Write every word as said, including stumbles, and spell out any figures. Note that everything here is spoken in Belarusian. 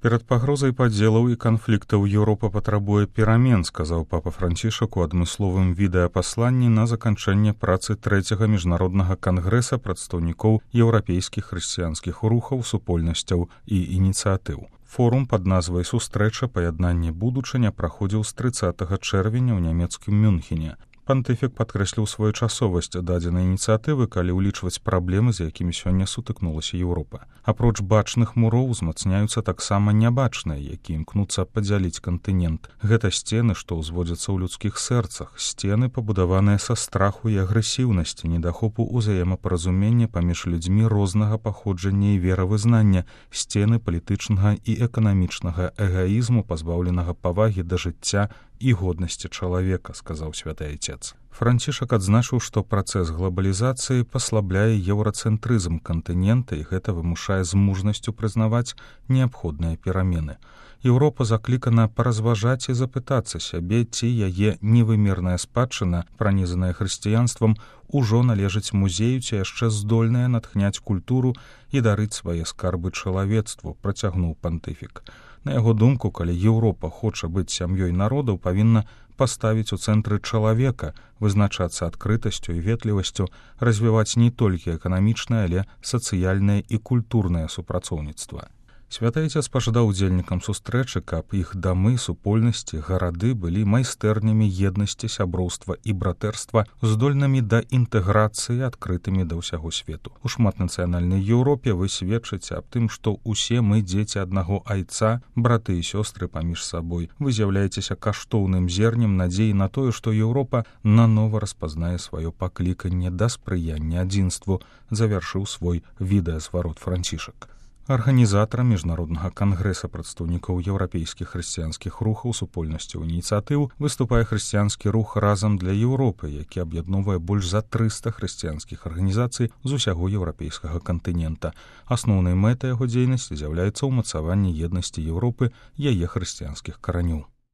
Перад пагрозай падзелаў і канфліктаў Еўропа патрабуе перамен, сказаў папа Францішак у адмысловым відэапасланні на заканчэнне працы трэцяга міжнароднага кангрэса прадстаўнікоў еўрапейскіх хрысціянскіх рухаў, супольнасцяў і ініцыятыў. Форум пад назвай «Сустрэча паяднання будучыня» праходзіў з трыццатага чэрвеня ў нямецкім Мюнхене. Пантыфік падкрэсліў своечасовасць дадзенай ініцыятывы, калі ўлічваць праблемы, з якімі сёння сутыкнулася Еўропа. Апроч бачных муроў узмацняюцца таксама нябачныя, якія імкнуцца падзяліць кантынент. Гэта сцены, што ўзводзяцца ў людскіх сэрцах, сцены, пабудаваныя са страху і агрэсіўнасці, недахопу ўзаемапаразумення паміж людзьмі рознага паходжання і веравызнання, сцены палітычнага і эканамічнага эгаізму, пазбаўленага павагі да жыцця і годнасці чалавека, сказаў святы айцец. Францішак адзначыў, што працэс глабалізацыі паслабляе еўрацэнтрызм кантынента і гэта вымушае з мужнасцю прызнаваць неабходныя перамены. Еўропа заклікана паразважаць і запытацца сябе, ці яе невымерная спадчына, пранізаная хрысціянствам, ужо належыць музею, ці яшчэ здольная натхняць культуру і дарыць свае скарбы чалавецтву, працягнуў пантыфік. На яго думку, калі Еўропа хоча быць сям'ёй народаў, павінна паставіць у цэнтры чалавека, вызначацца адкрытасцю і ветлівасцю, развіваць не толькі эканамічнае, але сацыяльнае і культурнае супрацоўніцтва. Святы айцец пажадаў удзельнікам сустрэчы, каб іх дамы, супольнасці, гарады былі майстэрнямі еднасці, сяброўства і братэрства, здольнымі да інтэграцыі, адкрытымі да ўсяго свету. У шматнацыянальнай Еўропе вы сведчыце аб тым, што ўсе мы дзеці аднаго айца, браты і сёстры паміж сабой. Вы з'яўляецеся каштоўным зернем надзеі на тое, што Еўропа нанова распазнае сваё пакліканне да спрыяння адзінству, завяршыў свой відэазварот Францішак. Арганізатарам міжнароднага кангрэса прадстаўнікоў еўрапейскіх хрысціянскіх рухаў, супольнасцяў, ініцыятыў выступае хрысціянскі рух «Разам для Еўропы», які аб'ядноўвае больш за трыста хрысціянскіх арганізацый з усяго еўрапейскага кантынента. Асноўнай мэтай яго дзейнасці з'яўляецца ўмацаванне еднасці Еўропы, яе хрысціянскіх каранёў.